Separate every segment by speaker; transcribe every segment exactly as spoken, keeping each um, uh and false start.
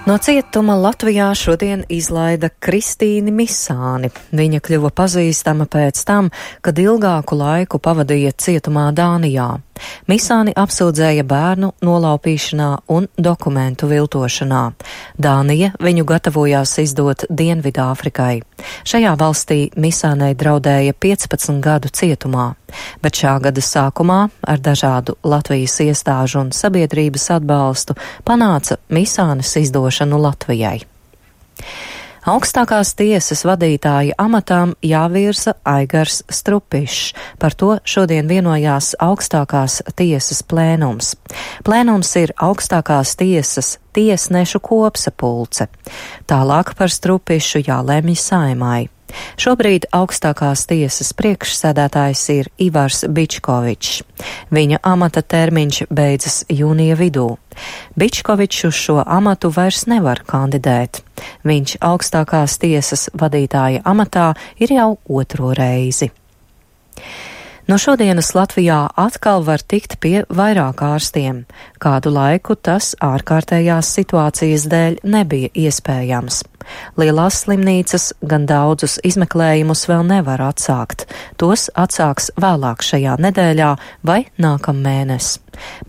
Speaker 1: No cietuma Latvijā šodien izlaida Kristīni Misāni. Viņa kļuva pazīstama pēc tam, kad ilgāku laiku pavadīja cietumā Dānijā. Misāni apsūdzēja bērnu nolaupīšanā un dokumentu viltošanā. Dānija viņu gatavojās izdot Dienvidāfrikai. Šajā valstī Misānei draudēja piecpadsmit gadu cietumā, bet šā gada sākumā ar dažādu Latvijas iestāžu un sabiedrības atbalstu panāca Misānes izdošanu Latvijai. Augstākās tiesas vadītāja amatām jāvirza Aigars Strupišs. Par to šodien vienojās augstākās tiesas plēnums. Plēnums ir augstākās tiesas tiesnešu kopsapulce. Tālāk par Strupišu jālemj Saeimai. Šobrīd augstākās tiesas priekšsēdētājs ir Ivars Bičkovičs. Viņa amata termiņš beidzas jūnija vidū. Bičkovičs uz šo amatu vairs nevar kandidēt. Viņš augstākās tiesas vadītāja amatā ir jau otro reizi. No šodienas Latvijā atkal var tikt pie vairāk ārstiem. Kādu laiku tas ārkārtējās situācijas dēļ nebija iespējams. Lielās slimnīcas gan daudzus izmeklējumus vēl nevar atsākt. Tos atsāks vēlāk šajā nedēļā vai nākamēnes.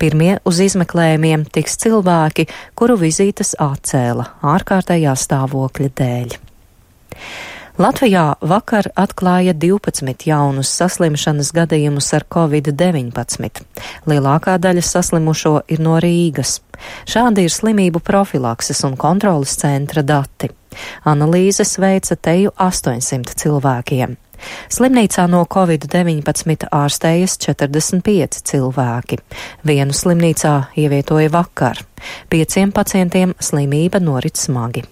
Speaker 1: Pirmie uz izmeklējumiem tiks cilvēki, kuru vizītes atcēla ārkārtējā stāvokļa dēļ. Latvijā vakar atklāja divpadsmit jaunus saslimšanas gadījumus ar covid deviņpadsmit. Lielākā daļa saslimušo ir no Rīgas. Šādi ir slimību profilakses un kontrolas centra dati. Analīzes veica teju astoņsimt cilvēkiem. Slimnīcā no covid deviņpadsmit ārstējas četrdesmit pieci cilvēki. Vienu slimnīcā ievietoja vakar. Pieciem pacientiem slimība norit smagi.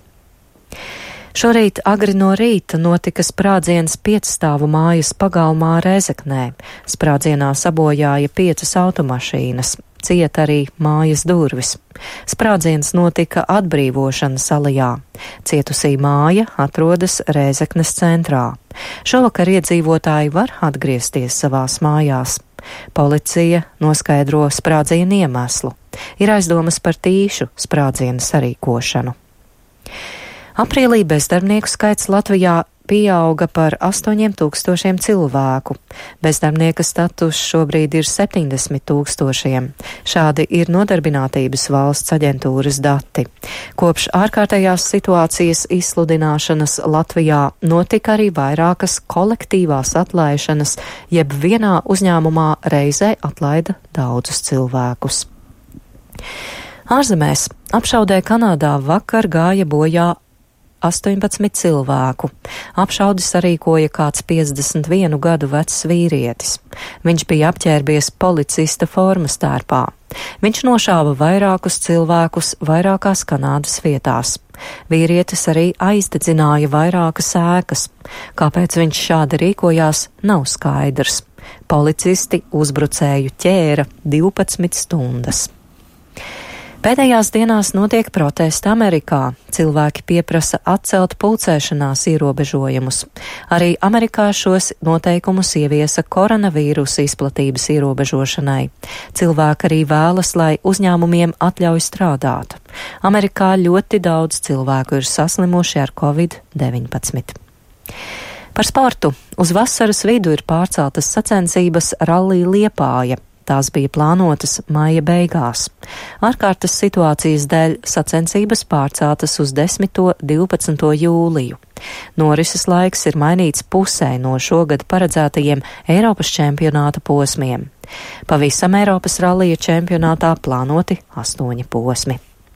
Speaker 1: Šorīt agri no rīta notika sprādziens piecstāvu mājas pagalmā Rēzeknē. Sprādzienā sabojāja piecas automašīnas, ciet arī mājas durvis. Sprādziens notika Atbrīvošanas alejā. Cietusī māja atrodas Rēzeknes centrā. Šovakar iedzīvotāji var atgriezties savās mājās. Policija noskaidro sprādzienu iemeslu. Ir aizdomas par tīšu sprādzienu sarīkošanu. Aprīlī bezdarbnieku skaits Latvijā pieauga par astoņiem tūkstošiem cilvēku. Bezdarbnieka status šobrīd ir septiņdesmit tūkstošiem. Šādi ir Nodarbinātības valsts aģentūras dati. Kopš ārkārtējās situācijas izsludināšanas Latvijā notika arī vairākas kolektīvās atlaišanas, jeb vienā uzņēmumā reizē atlaida daudzus cilvēkus. Ārzemēs apšaudē Kanādā vakar gāja bojā astoņpadsmit cilvēku. Apšaudi sarīkoja kāds piecdesmit vienu gadu vecs vīrietis. Viņš bija apģērbies policista formas tērpā. Viņš nošāva vairākus cilvēkus vairākās Kanādas vietās. Vīrietis arī aizdedzināja vairākas ēkas. Kāpēc viņš šādi rīkojās, nav skaidrs. Policisti uzbrucēju ķēra divpadsmit stundas. Pēdējās dienās notiek protesti Amerikā. Cilvēki pieprasa atcelt pulcēšanās ierobežojumus. Arī Amerikā šos noteikumus ieviesa koronavīrusa izplatības ierobežošanai. Cilvēki arī vēlas, lai uzņēmumiem atļauj strādāt. Amerikā ļoti daudz cilvēku ir saslimuši ar covid deviņpadsmit. Par sportu. Uz vasaras vidu ir pārceltas sacensības Rallija Liepāja. Tās bija plānotas maija beigās. Ārkārtas situācijas dēļ sacensības pārceltas uz desmito un divpadsmito jūliju. Norises laiks ir mainīts pusē no šogad paredzētajiem Eiropas čempionāta posmiem. Pavisam Eiropas rallija čempionātā plānoti astoņi posmi.